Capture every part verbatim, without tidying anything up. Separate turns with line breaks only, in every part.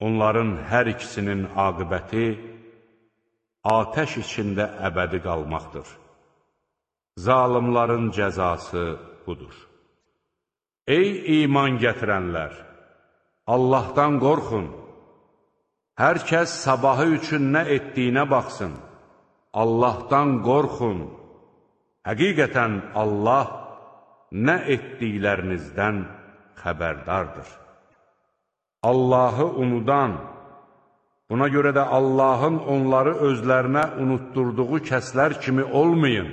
Onların hər ikisinin aqibəti atəş içində əbədi qalmaqdır. Zalimların cəzası budur. Ey iman gətirənlər! Allahdan qorxun. Hər kəs sabahı üçün nə etdiyinə baxsın. Allahdan qorxun. Həqiqətən Allah nə etdiklərinizdən xəbərdardır. Allahı unudan, buna görə də Allahın onları özlərinə unutturduğu kəslər kimi olmayın.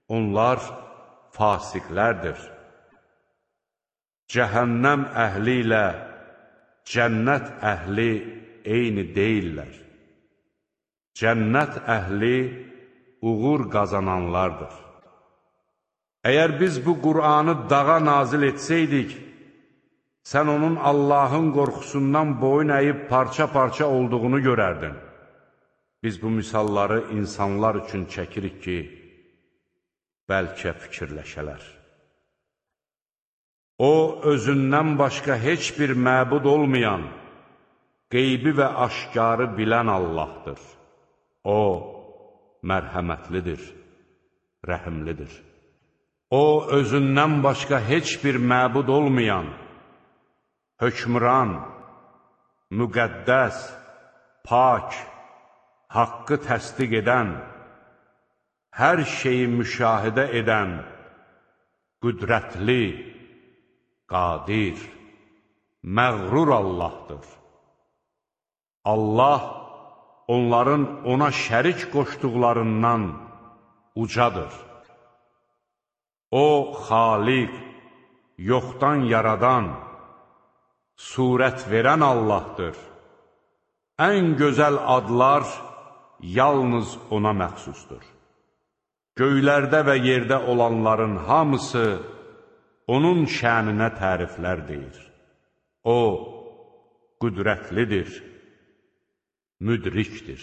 Onlar fasiqlərdir. Cəhənnəm əhli ilə cənnət əhli eyni deyillər. Cənnət əhli uğur qazananlardır. Əgər biz bu Qur'anı dağa nazil etsəydik, sən onun Allahın qorxusundan boyun əyib parça-parça olduğunu görərdin. Biz bu misalları insanlar üçün çəkirik ki, bəlkə fikirləşələr. O, özündən başqa heç bir məbud olmayan, qeybi və aşkarı bilən Allahdır. O, mərhəmətlidir, rəhimlidir. O, özündən başqa heç bir məbud olmayan, hökmran, müqəddəs, pak, haqqı təsdiq edən, hər şeyi müşahidə edən, qüdrətli, qadir, məğrur Allahdır. Allah onların ona şərik qoşduqlarından ucadır. O, xaliq, yoxdan yaradan, surət verən Allahdır. Ən gözəl adlar yalnız ona məxsusdur. Göylərdə və yerdə olanların hamısı onun şəninə təriflər deyir. O, qüdrətlidir, müdrikdir.